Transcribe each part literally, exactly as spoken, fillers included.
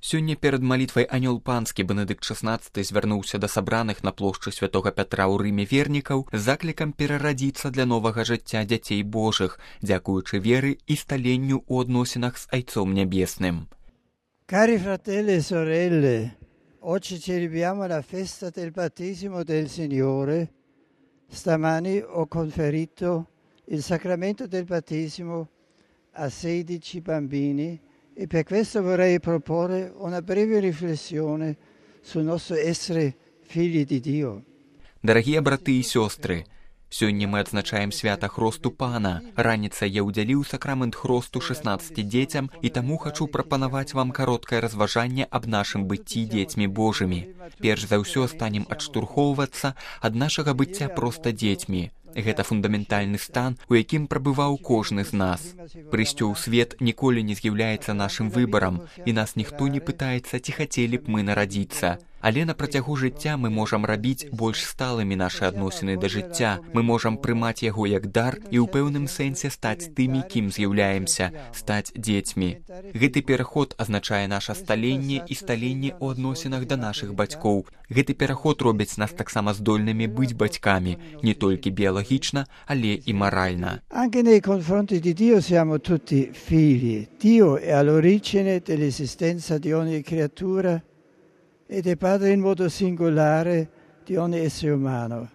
Сёння перад малітвай анёл панскі Бенедыкт шаснаццаты звярнуўся да сабраных на плошчы святога Пятра ў Рыме вернікаў з заклікам перарадзіцца для новага жыцця дзяцей Божых, дзякуючы веры і сталенню ў адносінах з Айцом Нябесным. Cari fratelli e sorelle, oggi celebriamo la festa del battesimo del Signore. Stamani ho conferito il sacramento del battesimo a sedici bambini e per questo vorrei proporre una breve riflessione sul nostro essere figli di Dio. Дарагія браты і сёстры, сёння мы адзначаем свята Хросту Пана. Раніцай я ўдзяліў сакрамент Хросту шаснаццаці дзецям і таму хачу прапанаваць вам кароткае разважанне аб нашым быцці дзецьмі Божымі. Перш за ўсё станем адштурхоўвацца ад нашага быцця проста дзецьмі. Гэта фундаментальны стан, у якім прабываў кожны з нас. Прыйсці ў свет ніколі не з'яўляецца нашым выбарам, і нас ніхто не пытаецца, ці хацелі б мы нарадзіцца. Але на працягу жыцця мы можам рабіць больш сталымі нашы адносіны да жыцця. Мы можам прымаць яго як дар і ў пэўным сэнсе стаць тымі, кім з'яўляемся, стаць дзецьмі. Гэты пераход азначае наша сталенне і сталенне ў адносінах да нашых бацькоў. Гэты пераход робіць нас таксама здольнымі быць бацькамі, не толькі біялагічна, але і маральна. Anche nei confronti di Dio siamo tutti figli. Dio è all'origine dell'esistenza di ogni creatura ed è padre in modo singolare di ogni essere umano.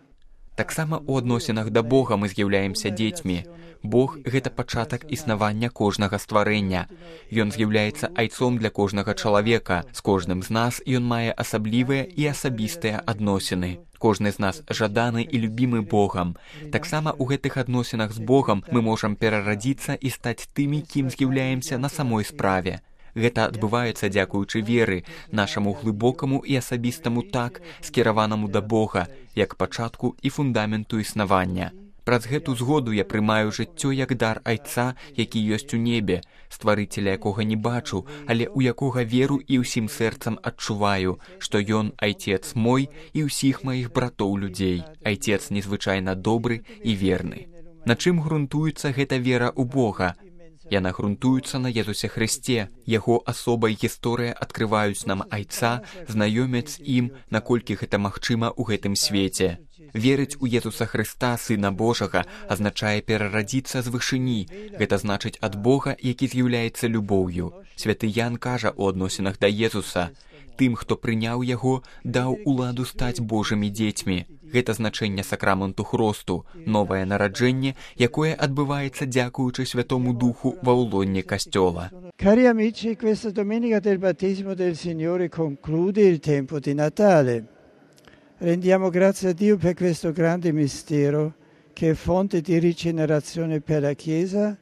Таксама ў адносінах да Бога мы з'яўляемся дзецьмі. Бог – гэта пачатак існавання кожнага стварэння. Ён з'яўляецца айцом для кожнага чалавека. З кожным з нас ён мае асаблівыя і асабістыя адносіны. Кожны з нас жаданы і любімы Богам. Таксама ў гэтых адносінах з Богам мы можам перарадзіцца і стаць тымі, кім з'яўляемся на самой справе. Гэта адбываецца дзякуючы веры, нашаму глыбокаму і асабістаму так, скіраванаму да Бога, як пачатку і фундаменту існавання. Праз гэту згоду я прымаю жыццё як дар Айца, які ёсць у небе, стварыцеля якога не бачу, але ў якога веру і ўсім сэрцам адчуваю, што ён Айцец мой і ўсіх маіх братоў людзей. Айцец незвычайна добры і верны. На чым грунтуецца гэта вера ў Бога? Яна грунтуецца на Езусе Хрысце. Яго асоба і гісторыя адкрываюць нам Айца, знаёмяць з ім, наколькі гэта магчыма ў гэтым свеце. Верыць у Езуса Хрыста, Сына Божага, азначае перарадзіцца з вышыні. Гэта значыць ад Бога, які з'яўляецца любоўю. Святы Ян кажа ў адносінах да Езуса: «Тым, хто прыняў яго, даў уладу стаць Божымі дзецьмі». Гэта значэнне сакраменту Хросту, новае нараджэнне, якое адбываецца дзякуючы Святому Духу ва ўлонні Касцёла. Cari amici, questa domenica del battesimo del Signore conclude il tempo di Natale. Rendiamo grazie a Dio per questo grande mistero che è fonte di rigenerazione per la Chiesa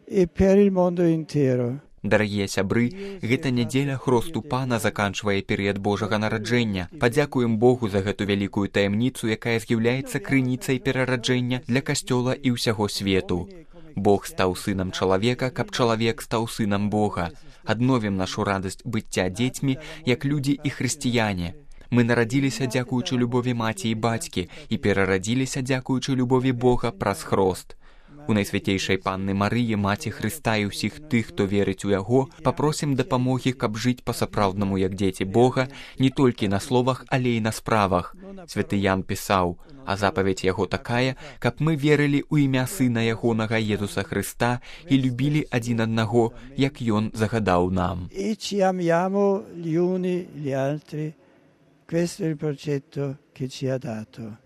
e per il mondo intero. Дарагія сябры, гэта нядзеля Хросту Пана заканчвае перыяд Божага нараджэння. Падзякуем Богу за гэту вялікую таямніцу, якая з'яўляецца крыніцай перараджэння для Касцёла і ўсяго свету. Бог стаў сынам чалавека, каб чалавек стаў сынам Бога. Адновім нашу радасць быцця дзецьмі, як людзі і хрысціяне. Мы нарадзіліся дзякуючы любові маці і бацькі і перарадзіліся дзякуючы любові Бога праз Хрост. У Найсвяцейшай Панны Марыі, Маці Хрыста і ўсіх тых, хто верыць у Яго, папросім дапамогі, каб жыць па-сапраўднаму як дзеці Бога, не толькі на словах, але і на справах. Святы Ян пісаў: «А запаведь Яго такая, каб мы верылі ў імя Сына Ягонага Езуса Хрыста і любілі адзін аднаго, як Ён загадаў нам». E ci amiamo gli uni gli altri. Questo è il progetto che ci ha dato.